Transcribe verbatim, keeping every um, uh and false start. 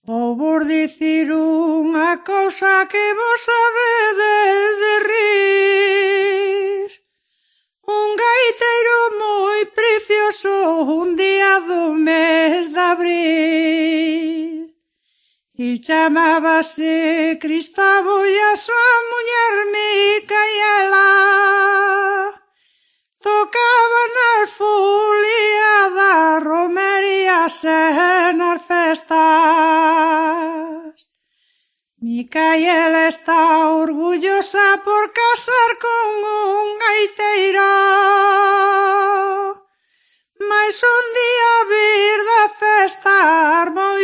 Vou vos dicir unha cousa que vos sabedes de rir. Un gaiteiro moi precioso un día do mes de abril. Il chamábase Cristavo e a súa muller Micaela. Tocaban as foliadas, romerías e nas festas. Micaela está orgullosa por casar con un gaiteiro, mais un día vir de festa armou